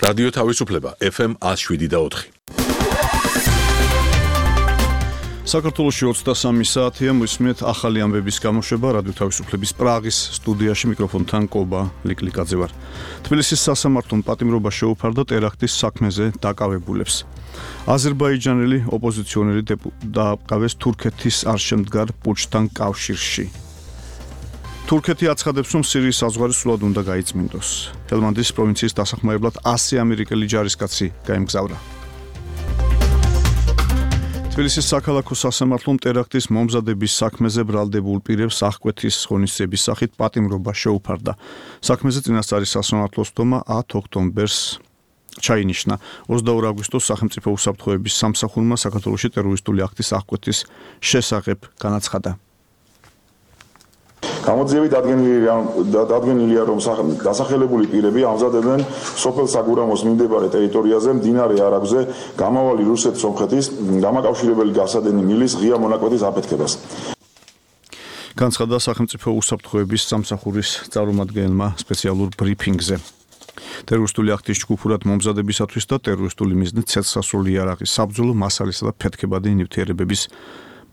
რადიო თავისუფლება FM 107.4. საქართველოში 23 საათია მოისმენთ ახალი ამბების გამოშვება რადიო თავისუფლების პრაღის სტუდიაში მიკროფონთან კობა ლიკლიკაძე ვარ. თბილისის სასამართლომ პატიმრობა შეუფარდა ტერაქტის საქმეზე დაკავებულებს. აზერბაიჯანელი ოპოზიციონერი დააკავეს თურქეთის არშემდგარ პუჩთან კავშირში. თურქეთი აცხადებს, რომ სირიის საზღვარი სულად უნდა გაიწმინდოს. ჰელმანდის პროვინციის დასახმარებლად 100 ამერიკელი ჯარისკაცი გაემგზავრა. თბილისის საქალაქო სასამართლომ ტერაქტის მომზადების საქმეზე ბრალდებულ პირებს აღკვეთის ღონისძიების სახით პატიმრობა შეუფარდა. საქმეზე წინასწარი სასამართლოს თომა 10 ოქტომბერს ჩაინიშნა. 22 აგვისტოს სახელმწიფო უსაფრთხოების სამსახურმა საქართველოში ტერორისტული აქტის აღკვეთის შესახებ განაცხადა. გამოძიებით დადგენილია, რომ დასახელებული პირები ამზადებენ სოფელ საგურამოს მიმდებარე ტერიტორიაზე მდინარე არაგვზე გამავალი რუსეთ-სომხეთის დამაკავშირებელი გასადენი მილის ღია მონაკვეთის აფეთქებას. განცხადა სახელმწიფო უსაფრთხოების სამსახურის წარმომადგენელმა სპეციალურ ბრიფინგზე. ტერორისტული აქტის ჯგუფურად მომზადებისათვის და ტერორისტული მიზნით ცეცხლსასროლი იარაღის საბრძოლო მასალისა და ფეთქებადი ნივთიერებების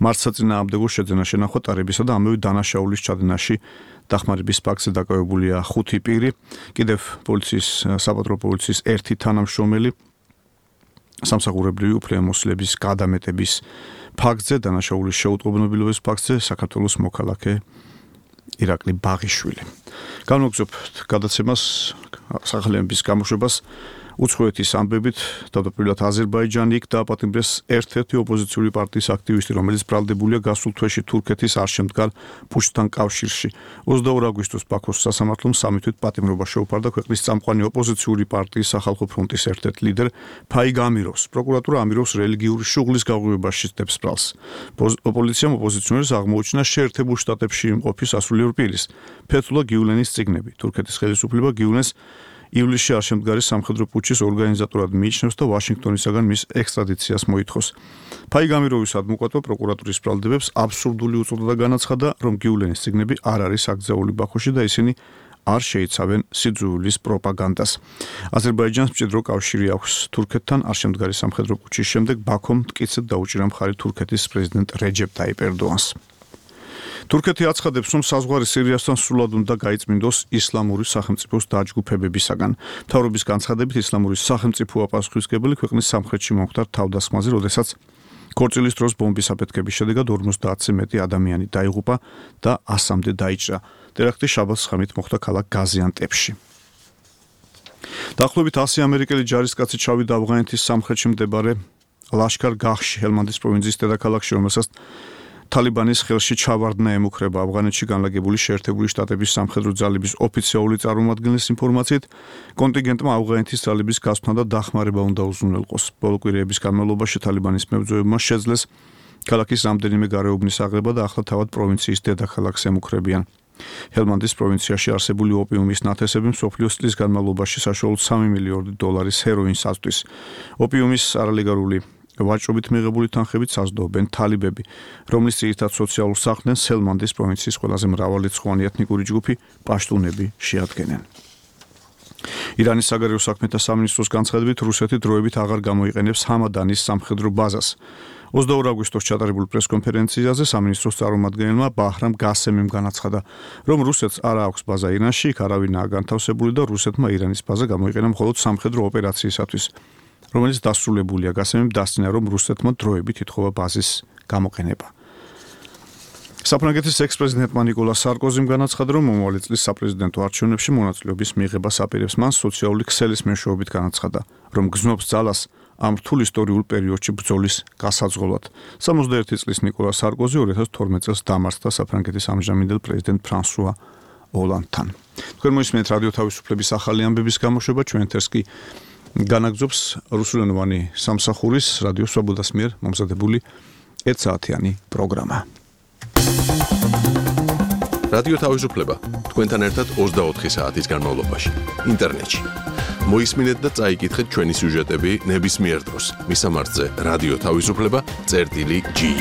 მართსაწინააღმდეგო შეძენა შენახვა ტარებისა და ამავე დანაშაულის ჩადენაში დახმარების ფაქტზე დაკავებულია 5 პირი, კიდევ საპატრო პოლიციის 1 თანამშრომელი, სამსახურებრივი უფლებამოსილების გადამეტების ფაქტზე, დანაშაულის შეუტყობინებელობის ფაქტზე საქართველოს მოქალაქე ირაკლი ბაღიშვილი. განვაგრძობთ გადაცემას სახელმწიფოს გამოშვებას უცხოეთის ამბებით, თავდაპირველად აზერბაიჯანი იქ დააპატიმრეს ერთ-ერთი ოპოზიციური პარტიის აქტივისტი, რომელიც ბრალდებულია გასულ თვეში თურქეთის არშემდგარ პუჩთან კავშირში. 22 აგვისტოს ბაქოს სასამართლომ სამი თვით პატიმრობა შეუფარდა ქვეყნის წამყვანი ოპოზიციური პარტიის სახალხო ფრონტის ერთ-ერთ ლიდერ ფაიგ ამიროვს. პროკურატურა ამიროვს რელიგიური შუღლის გაღვივებაში სდებს ბრალს. ოპოზიციამ ოპოზიციონერს აღმოუჩინა შეერთებულ შტატებში იმყოფი სასულიერო პირის ფეთულა გიულენის წიგნები. თურქეთის ხელისუფლება გიულენს ივლისში არშემდგარი სამხედრო პუჩის ორგანიზატორად მიიჩნევს და ვაშინგტონისაგან მის ექსტრადიციას მოითხოვს. ფაიგ ამიროვის ადვოკატო პროკურატურის ბრალდებებს აბსურდული უწოდა და განაცხადა, რომ გიულენის წიგნები არ არის აკრძალული ბაქოში და ისინი არ შეიცავენ სიძულვილის პროპაგანდას. აზერბაიჯანს მჭიდრო კავშირი აქვს თურქეთთან. არშემდგარი სამხედრო პუჩის შემდეგ ბაქომ მტკიცედ დაუჭირა მხარი თურქეთის პრეზიდენტ რეჯეპ ტაიპ ერდოანს. თურქეთი აცხადებს, რომ საზღვარი სირიასთან სრულად უნდა გაიწმინდოს ისლამური სახელმწიფოს დაჯგუფებებისაგან. მთავრობის განცხადებით, ისლამური სახელმწიფოა პასუხისმგებელი ქვეყნის სამხრეთში მომხდარ თავდასხმაზე, როდესაც ქორწილის დროს ბომბის აფეთქების შედეგად 50-ზე მეტი ადამიანი დაიღუპა და 100-მდე დაიჭრა. ტერაქტი შაბათს ხამით მოხდა ქალაქ გაზიანტეპში. დაახლოებით 100 ამერიკელი ჯარისკაცი ჩავიდა ავღანეთის სამხრეთში მდებარე ლაშქარ-გაჰში, ჰელმანდის პროვინციის დედაქალაქში, რომელსაც თალიბანის ხელში ჩავარდნა ემუქრება. ავღანეთში განლაგებული შეერთებული შტატების სამხედრო ძალების ოფიციალური წარმომადგენლის ინფორმაციით, კონტინგენტმა ავღანეთის ძალების გასვლა და დახმარება უნდა უზრუნველყოს. ბოლო კვირების განმავლობაში თალიბანის მებრძოლებმა შეძლეს ქალაქის რამდენიმე გარეუბნის აღება და ახლა თავად პროვინციის დედაქალაქს ემუქრებიან. ჰელმანდის პროვინციაში არსებული ოპიუმის ნათესები მსოფლიოს წლის განმავლობაში საშუალოდ $3 მილიონი ჰეროინს აწვდის. ოპიუმის არალეგალური ვაჭრობით მიღებული თანხებით საზრდოობენ თალიბები, რომლის ძირითად სოციალურ საქმეს ჰელმანდის პროვინციის ყველაზე მრავალრიცხოვანი ეთნიკური ჯგუფი პაშტუნები შეადგენენ. ირანის საგარეო საქმეთა სამინისტროს განცხადებით, რუსეთი დროებით აღარ გამოიყენებს ჰამადანის სამხედრო ბაზას. 22 აგვისტოს ჩატარებულ პრესკონფერენციაზე სამინისტროს წარმომადგენელმა ბაჰრამ გასემიმ განაცხადა, რომ რუსეთს არ აქვს ბაზა ირანში, იქ არავინაა განთავსებული და რუსეთმა ირანის ბაზა გამოიყენა მხოლოდ სამხედრო ოპერაციისათვის, რომელიც დასრულებულია. გასემიმ დასწინა, რომ რუსეთმა დროებით ითხოვა ბაზის გამოყენება. საფრანგეთის ექს-პრეზიდენტმა ნიკოლა სარკოზიმ განაცხადა, რომ მომავალი წლის საპრეზიდენტო არჩევნებში მონაწილეობის მიღებას აპირებს. მან სოციალური ქსელის მეშვეობით განაცხადა, რომ გზნობს ძალას ამ რთულ ისტორიულ პერიოდში ბრძოლის გასაძღოლად. 61 წლის ნიკოლა სარკოზი 2012 წელს დამარცხდა საფრანგეთის ამჟამინდელ პრეზიდენტ ფრანსუა ოლანდთან. თქვენ მოისმენთ რადიო თავისუფლების ახალი ამბების გამოშვება, ჩვენ ეთერს კი განაგზობს რუსულენოვანი სამსახურის რადიო სვაბოდას მიერ მომზადებული 1 საათიანი პროგრამა. რადიო თავისუფლება თქვენთან ერთად 24 საათის განმავლობაში ინტერნეტში. მოისმინეთ და წაიკითხეთ ჩვენი სიუჟეტები ნებისმიერ დროს. მისამართზე რადიო თავისუფლება.gi